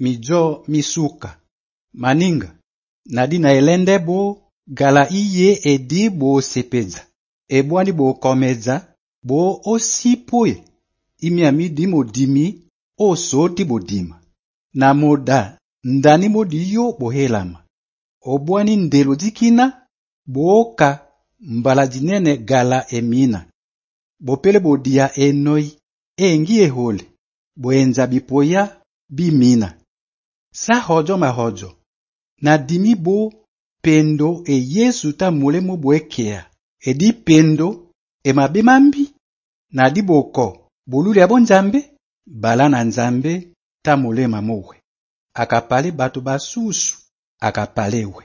mijo misuka maninga nadi na elende bo gala iye edi bo sepeza ebwani bo komeza bo osipoe imi amidi modimi osoti bodima na moda ndani modi yo bohelama obwani ndelo dikina boka mbala dinene gala emina bopele bodia enoi engi ehole boenza bipoya bimina sa hojo mahojo na dimi bo pendo e Yesu ta mulemo boekea edi pendo e mabemambi na di boko boluli abo nzambe bala na nzambe ta mulema mowe akapale batu basusu akapalewe